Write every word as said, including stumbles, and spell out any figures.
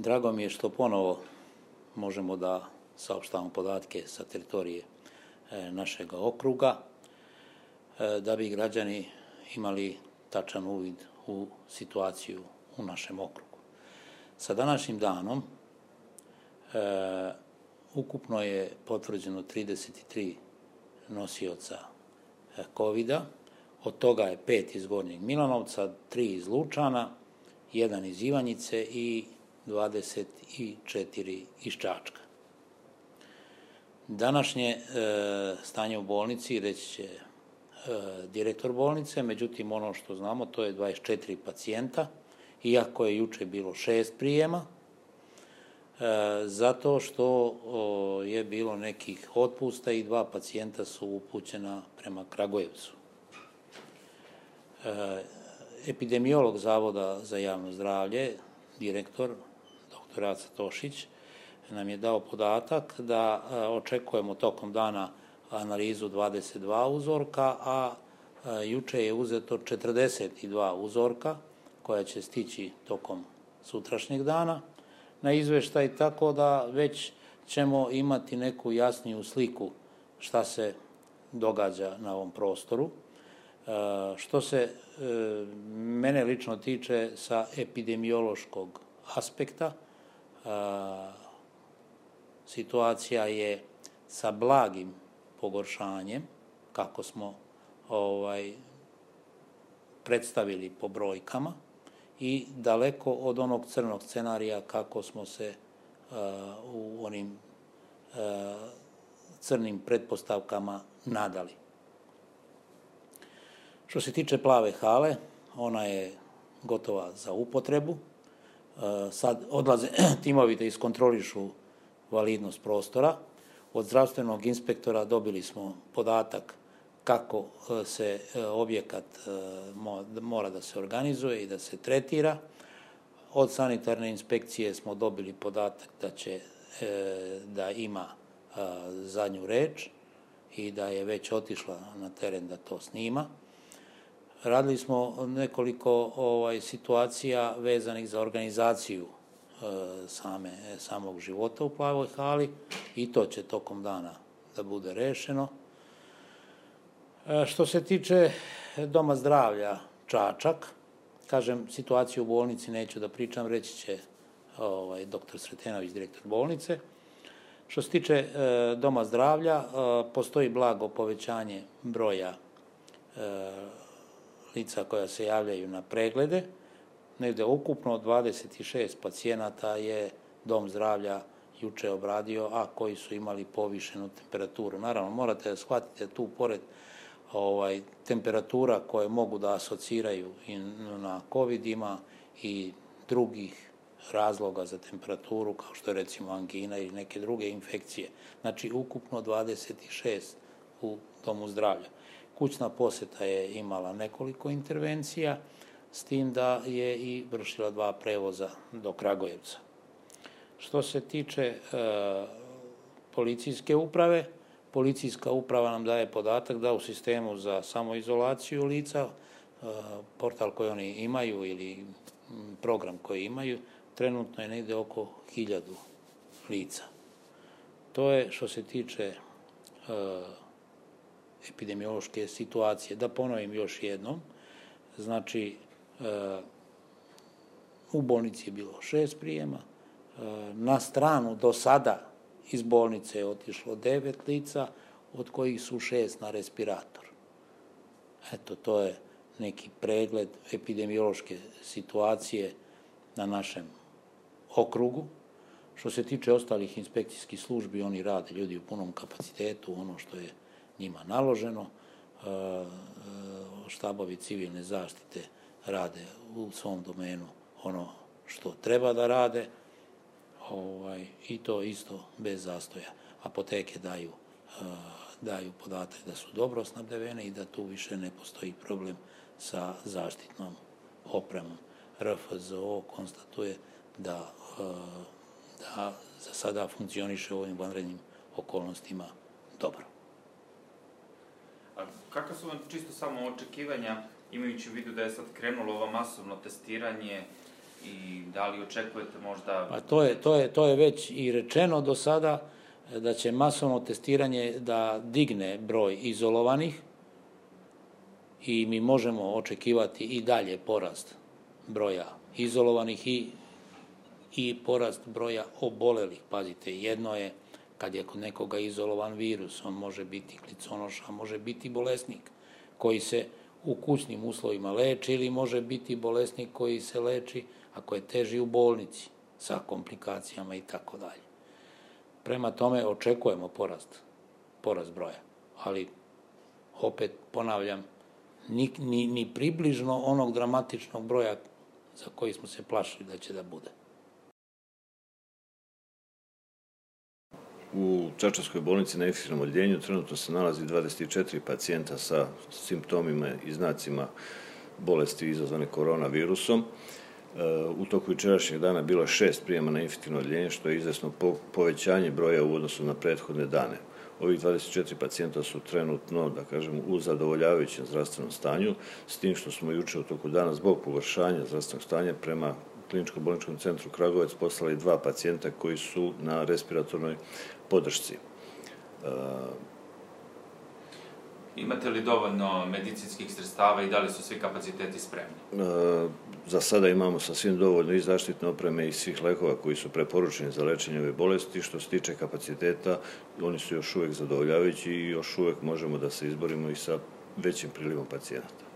Drago mi je što ponovo možemo da saopštavamo podatke sa teritorije našeg okruga, da bi građani imali tačan uvid u situaciju u našem okrugu. Sa današnjim danom e, ukupno je potvrđeno trideset tri nosioca kovida, od toga je pet iz Gornjeg Milanovca, tri iz Lučana, jedan iz Ivanjice i dvadeset četiri iz Čačka. Današnje e, stanje u bolnici reći će e, direktor bolnice, međutim ono što znamo to je dvadeset četiri pacijenta, iako je juče bilo šest prijema, e, zato što o, je bilo nekih otpusta i dva pacijenta su upućena prema Kragujevcu. E, epidemiolog Zavoda za javno zdravlje, direktor, doktor Aca Tošić, nam je dao podatak da a, očekujemo tokom dana analizu dvadeset dva uzorka, a, a juče je uzeto četrdeset dva uzorka koja će stići tokom sutrašnjeg dana na izveštaj, tako da već ćemo imati neku jasniju sliku šta se događa na ovom prostoru. E, što se e, mene lično tiče sa epidemiološkog aspekta, e, situacija je sa blagim pogoršanjem, kako smo ovaj, predstavili po brojkama, i daleko od onog crnog scenarija kako smo se uh, u onim uh, crnim pretpostavkama nadali. Što se tiče plave hale, ona je gotova za upotrebu. Uh, sad odlaze timovi da iskontrolišu validnost prostora. Od zdravstvenog inspektora dobili smo podatak kako se objekat mora da se organizuje i da se tretira. Od sanitarne inspekcije smo dobili podatak da će da ima zadnju reč i da je već otišla na teren da to snima. Radili smo nekoliko ovaj, situacija vezanih za organizaciju same, samog života u plavoj hali i to će tokom dana da bude rešeno. Što se tiče Doma zdravlja Čačak, kažem, situaciju u bolnici neću da pričam, reći će ovaj, doktor Sretenović, direktor bolnice. Što se tiče e, Doma zdravlja, e, postoji blago povećanje broja e, lica koja se javljaju na preglede. Negde ukupno dvadeset šest pacijenata je Dom zdravlja juče obradio, a koji su imali povišenu temperaturu. Naravno, morate da shvatite tu pored ovaj, temperatura koje mogu da asociraju i na COVID ima i drugih razloga za temperaturu, kao što je recimo angina ili neke druge infekcije. Znači, ukupno dvadeset šest u Domu zdravlja. Kućna poseta je imala nekoliko intervencija, s tim da je i vršila dva prevoza do Kragujevca. Što se tiče e, policijske uprave, policijska uprava nam daje podatak da u sistemu za samoizolaciju lica, e, portal koji oni imaju ili program koji imaju, trenutno je negde oko hiljadu lica. To je što se tiče e, epidemiološke situacije. Da ponovim još jednom, znači, u bolnici je bilo šest prijema, na stranu do sada iz bolnice je otišlo devet lica, od kojih su šest na respirator. Eto, to je neki pregled epidemiološke situacije na našem okrugu. Što se tiče ostalih inspekcijskih službi, oni rade, ljudi u punom kapacitetu, ono što je njima naloženo. Štabovi civilne zaštite rade u svom domenu ono što treba da rade, ovaj, i to isto bez zastoja. Apoteke daju, uh, daju podatak da su dobro snabdevene i da tu više ne postoji problem sa zaštitnom opremom. R F Z O konstatuje da, uh, da za sada funkcioniše u ovim vanrednim okolnostima dobro. A kakva su vam čisto samo očekivanja, imajući u vidu da je sad krenulo ovo masovno testiranje, I da li očekujete možda... Pa to je, to je, to je već i rečeno do sada, da će masovno testiranje da digne broj izolovanih i mi možemo očekivati i dalje porast broja izolovanih i, i porast broja obolelih. Pazite, jedno je kad je kod nekoga izolovan virus, on može biti kliconoša, može biti bolesnik koji se u kućnim uslovima leči ili može biti bolesnik koji se leči ako je teži u bolnici sa komplikacijama i tako dalje. Prema tome očekujemo porast, porast broja, ali opet ponavljam, ni, ni, ni približno onog dramatičnog broja za koji smo se plašili da će da bude. U Čačanskoj bolnici na infektivnom odeljenju trenutno se nalazi dvadeset četiri pacijenta sa simptomima i znacima bolesti izazvane koronavirusom. U toku jučerašnjeg dana bilo je šest prijema na infektivno odeljenje, što je izvesno povećanje broja u odnosu na prethodne dane. Ovih dvadeset četiri pacijenta su trenutno, da kažem, u zadovoljavajućem zdravstvenom stanju, s tim što smo juče u toku dana zbog pogoršanja zdravstvenog stanja prema Kliničko-bolničkom centru Kragujevac poslali dva pacijenta koji su na respiratornoj podršci. Imate li dovoljno medicinskih sredstava i da li su svi kapaciteti spremni? Za sada imamo sasvim dovoljno i zaštitne opreme i svih lekova koji su preporučeni za lečenje ove bolesti. Što se tiče kapaciteta, oni su još uvek zadovoljavajući i još uvek možemo da se izborimo i sa većim prilivom pacijenata.